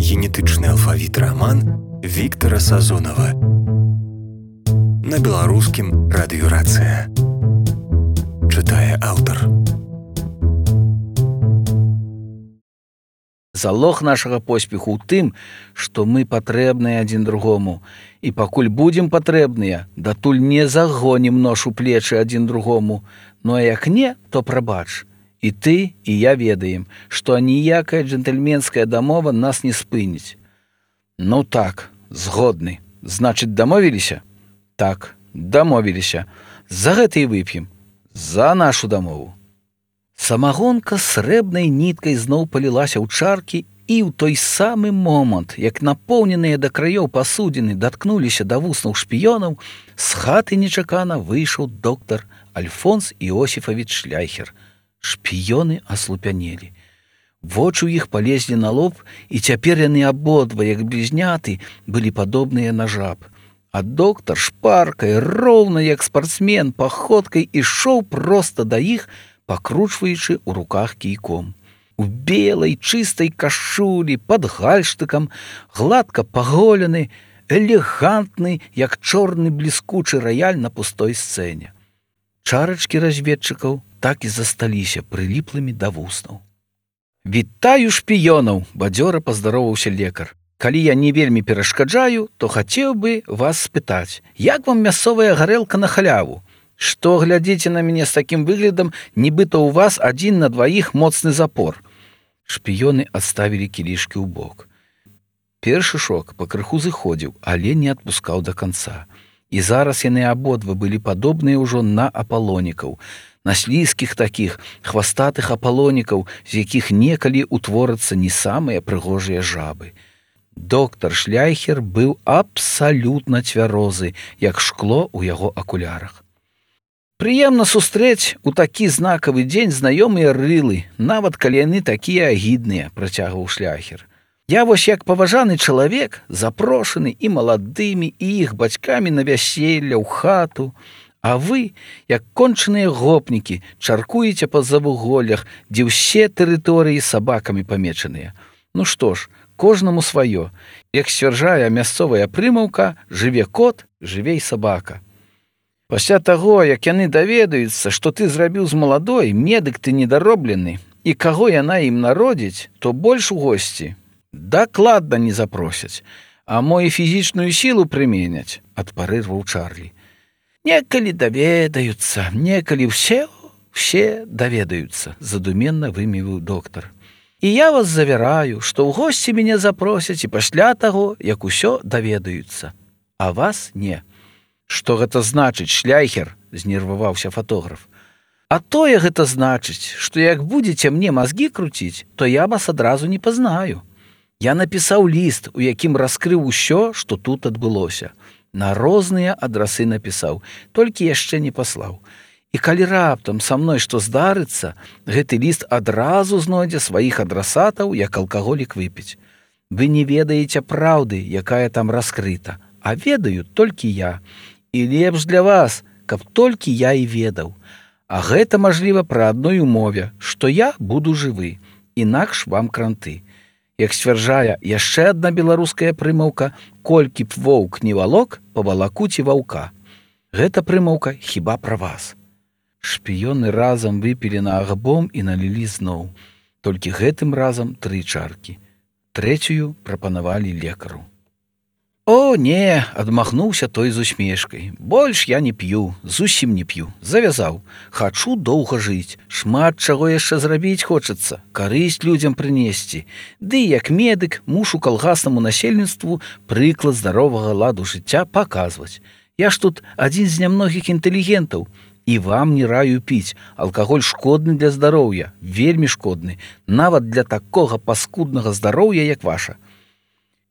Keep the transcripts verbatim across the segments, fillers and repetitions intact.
генетычны алфавіт раман Віктара Сазонава. На беларускім радыёрацыя. Чытае аўтар. Залог нашага поспеху ў тым, што мы патрэбныя адзін другому. І пакуль будзем патрэбныя, датуль не загонім нож у плечы адзін другому. Ну а як не, то прабач. І ты, і я ведаем, што ніякая джентльменская дамова нас не спыніць. Ну так, згодны. Значыць, дамовіліся? Так, дамовіліся. За гэта і вып'ем. За нашу дамову. Самагонка срэбнай ніткай зноў палілася ў чаркі, і ў той самы момант, як напоўненыя да краёў пасудзіны даткнуліся да вуснаў шпіёнаў, з хаты нечакана выйшаў доктар Альфонс Іосіфавіч Шляйхер. Шпіёны аслупянелі. Вочы ў іх палезлі на лоб, і цяпер яны абодва, як блізняты, былі падобныя на жаб. А доктар шпаркай, роўна як спартсмен, паходкай ішоў проста да іх, пакручваючы ў руках кійком. У белай чыстай кашулі, пад гальштыкам, гладка паголены, элегантны, як чорны бліскучы раяль на пустой сцэне. Чарачкі разведчыкаў так і засталіся прыліплымі да вуснаў. «Вітаю шпіёнаў!» – бадзёра паздароваўся лекар. «Калі я не вельмі перашкаджаю, то хацеў бы вас спытаць, як вам мясцовая гарэлка на халяву? Што глядзіце на мяне з такім выглядам, нібыта ў вас адзін на дваіх моцны запор?» Шпіёны адставілі кілішкі ў бок. Першы шок пакрыху зыходзіў, але не адпускаў да канца. І зараз яны абодва былі падобныя ўжо на апалонікаў, на слізкіх такіх хвастатых апалонікаў, з якіх некалі ўтворацца не самыя прыгожыя жабы. Доктар Шляйхер быў абсалютна цвярозы, як шкло ў яго акулярах. «Прыемна сустрэць у такі знакавы дзень знаёмыя рылы, нават калі яны такія агідныя», – працягваў Шляйхер. «Я вось як паважаны чалавек, запрошаны і маладымі, і іх бацькамі на вяселле ў хату, а вы, як кончаныя гопнікі, чаркуеце па завуголлях, дзе ўсе тэрыторыі сабакамі памечаныя. Ну што ж, кожнаму сваё. Як сцвярджае мясцовая прымаўка, жыве кот, жыве і сабака. Пасля таго, як яны даведаюцца, што ты зрабіў з маладой, медык ты недароблены, і каго яна ім народзіць, то больш у госці дакладна не запросяць, а мо і фізічную сілу прыменяць», – адпарырваў Чарлі. «Некалі даведаюцца, некалі ўсе, ўсе даведаюцца», – задуменна вымявіў доктар. «І я вас завяраю, што ў госці мяне запросяць і пасля таго, як усё даведаюцца, а вас не». «Што гэта значыць, Шляйхер?» – знерваваўся фатограф. «А тое гэта значыць, што як будзеце мне мазгі круціць, то я вас адразу не пазнаю. Я напісаў ліст, у якім раскрыў усё, што тут адбылося. На розныя адрасы напісаў, толькі яшчэ не паслаў. І калі раптам са мной што здарыцца, гэты ліст адразу знойдзе сваіх адрасатаў, як алкаголік выпіць. Вы не ведаеце праўды, якая там раскрыта, а ведаю толькі я. І лепш для вас, каб толькі я і ведаў. А гэта мажліва пры адной умове, што я буду жывы, інакш вам кранты. Як сцвярджае яшчэ адна беларуская прымаўка, колькі б воўк не валок, павалакуць і ваўка. Гэта прымаўка хіба пра вас». Шпіёны разам выпілі на агбом і налілі зноў. Толькі гэтым разам тры чаркі. Трэцюю прапанавалі лекару. «О, не!» – адмахнуўся той з усмешкай. «Больш я не п'ю, зусім не п'ю. Завязаў. Хачу доўга жыць. Шмат чаго яшчэ зрабіць хочацца. Карысць людзям прынесці. Ды як медык мушу калгаснаму насельніцтву прыклад здаровага ладу жыцця паказваць. Я ж тут адзін з нямногіх інтэлігентаў. І вам не раю піць. Алкаголь шкодны для здароўя, вельмі шкодны, нават для такога паскуднага здароўя, як ваша».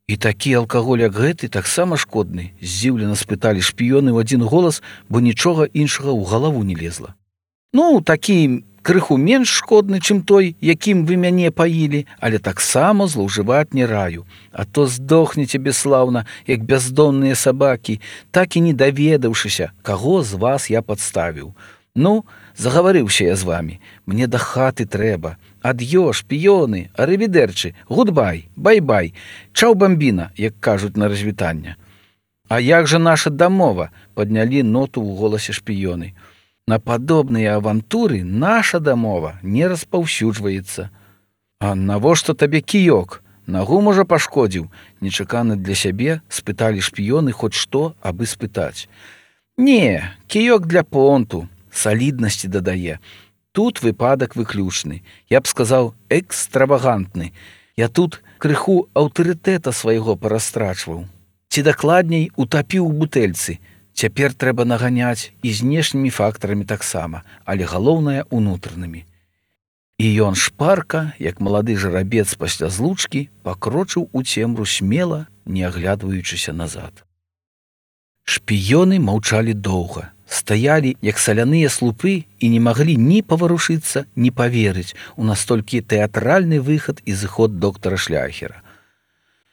«І такі алкаголь, як гэты, таксама шкодны?» – здзіўлена спыталі шпіёны ў адзін голас, бо нічога іншага ў галаву не лезла. «Ну, такі крыху менш шкодны, чым той, якім вы мяне паілі, але таксама злоўжываць не раю. А то здохнеце бесслаўна, як бяздомныя сабакі, так і не даведаўшыся, каго з вас я падставіў. Ну, загаварыўся я з вамі, мне да хаты трэба, Ад'ё, шпіёны, арывідэрчы, гудбай, бай-бай, чаў бамбіна, як кажуць на развітанне. А як жа наша дамова, паднялі ноту ў голасе шпіёны. На падобныя авантуры наша дамова не распаўсюджваецца. А навошта табе кіёк? Нагу, можа, пашкодзіў? Нечакана для сябе спыталі шпіёны хоць што, абы спытаць. Не, кіёк для понту, саліднасці дадае. Тут выпадак выключны, я б сказаў, экстравагантны. Я тут крыху аўтарытэта свайго парастрачваў. Ці дакладней, утапіў у бутэльцы. Цяпер трэба наганяць і знешнімі фактарамі таксама, але галоўнае унутранымі. І ён шпарка, як малады жарабец пасля злучкі, пакрочыў у цемру смела, не аглядваючыся назад. Шпіёны маўчалі доўга, стаялі, як саляныя слупы, і не маглі ні паварушыцца, ні паверыць у настолькі тэатральны выхад і зыход доктара Шляхера.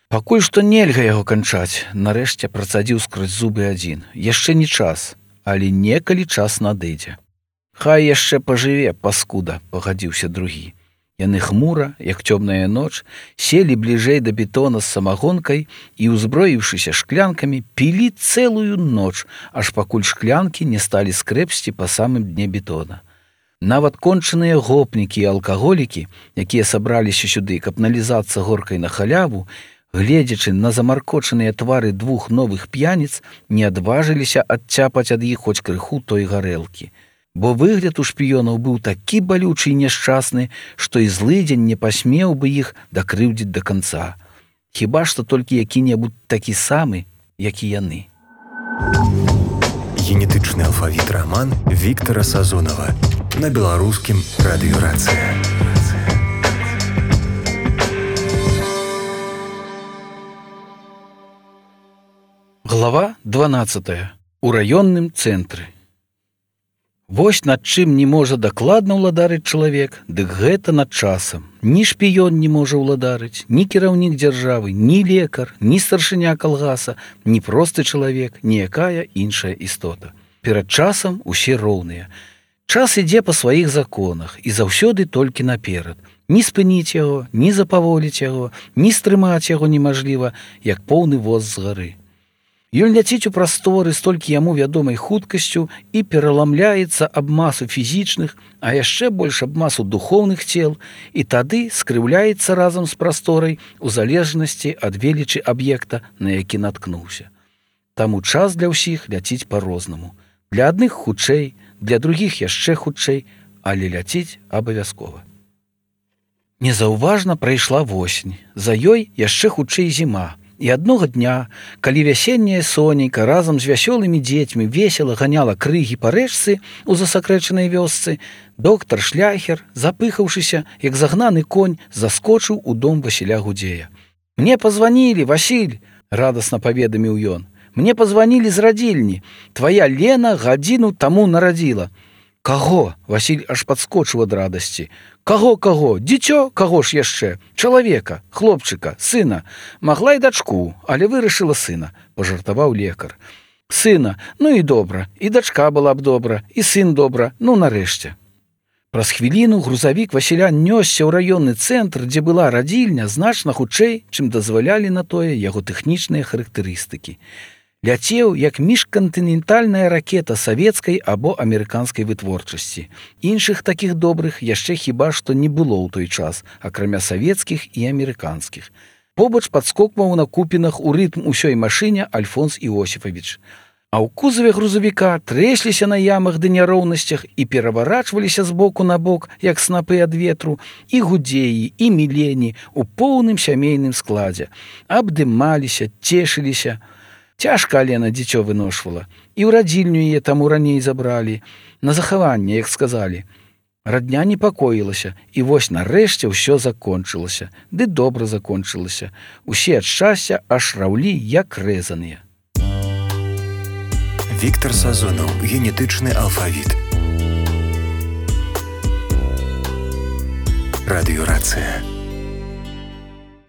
Пакуль што нельга яго канчаць, нарэшце працадзіў скрозь зубы адзін. Яшчэ не час, але некалі час надыдзе. Хай яшчэ пажыве, паскуда, пагадзіўся другі. Яны хмура, як цёмная ноч, селі бліжэй да бетона з самагонкай і, узброіўшыся шклянкамі, пілі цэлую ноч, аж пакуль шклянкі не сталі скрэпсці па самым дне бетона. Нават кончаныя гопнікі і алкаголікі, якія сабраліся сюды, каб налізацца горкай на халяву, гледзячы на замаркочаныя твары двух новых п'яніц, не адважыліся адцяпаць ад іх хоць крыху той гарэлкі. Бо выгляд у шпіёнаў быў такі балючы і няшчасны, што і злыдзень не пасмеў бы іх дакрыўдзіць да канца. Хіба што толькі які-небудзь такі самы, як і яны. Генетычны алфавіт раман Віктара Сазонава на беларускім радыё Рацыя. Глава дванаццатая. У раённым цэнтры. Вось над чым не можа дакладна ўладарыць чалавек, дык гэта над часам. Ні шпіён не можа ўладарыць, ні кіраўнік дзяржавы, ні лекар, ні старшыня калгаса, ні просты чалавек, ніякая іншая істота. Перад часам усе роўныя. Час ідзе па сваіх законах і заўсёды толькі наперад. Ні спыніць яго, ні запаволіць яго, ні стрымаць яго немажліва, як поўны воз з гары. Ён ляціць у прасторы столькі яму вядомай хуткасцю і пераламляецца аб масу фізічных, а яшчэ больш аб масу духоўных цел, і тады скрыўляецца разам з прасторай у залежнасці ад велічы аб'екта, на які наткнуўся. Таму час для ўсіх ляціць па-рознаму. Для адных хутчэй, для другіх яшчэ хутчэй, але ляціць абавязкова. Незаўважна прайшла восень, за ёй яшчэ хутчэй зіма. І аднога дня, калі вясенняя сонейка разам з вясёлымі дзецьмі весела ганяла крыгі па рэчцы ў засакрэчанай вёсцы, доктар Шляхер, запыхаўшыся, як загнаны конь, заскочыў у дом Васіля Гудзея. «Мне позвонили, Васіль!» – радасна паведаміў ён. «Мне позвонили з радзільні. Твая Лена гадзіну таму нарадзіла». «Каго?» – Васіль аж падскочыў ад радасці. «Каго, каго? Дзіцё? Каго ж яшчэ? Чалавека, хлопчыка, сына. Магла і дачку, але вырашыла сына», – пажартаваў лекар. «Сына, ну і добра, і дачка была б добра, і сын добра, ну нарэшце». Праз хвіліну грузавік Васіля нёсся ў раённы цэнтр, дзе была радзільня, значна хутчэй, чым дазвалялі на тое яго тэхнічныя характарыстыкі. Ляцеў, як міжкантынентальная ракета савецкай або амерыканскай вытворчасці. Іншых такіх добрых яшчэ хіба што не было ў той час, акрамя савецкіх і амерыканскіх. Побач падскокваў на купінах у рытм усёй машыне Альфонс Іосіфавіч. А ў кузаве грузавіка трэсліся на ямах ды няроўнасцях і пераварачваліся з боку на бок, як снапы ад ветру, і гудзеі, і мілені у поўным сямейным складзе. Абдымаліся, цешыліся. Цяжка Алена дзіцё выношвала, і ў радзільню яе таму раней забралі. На захаванне, як сказалі. Радня непакоілася, і вось нарэшце ўсё закончылася, ды добра закончылася. Усе ад шчасця аж раўлі, як рэзаныя. Віктар Сазонаў. Генетычны алфавіт. Радыё Рацыя.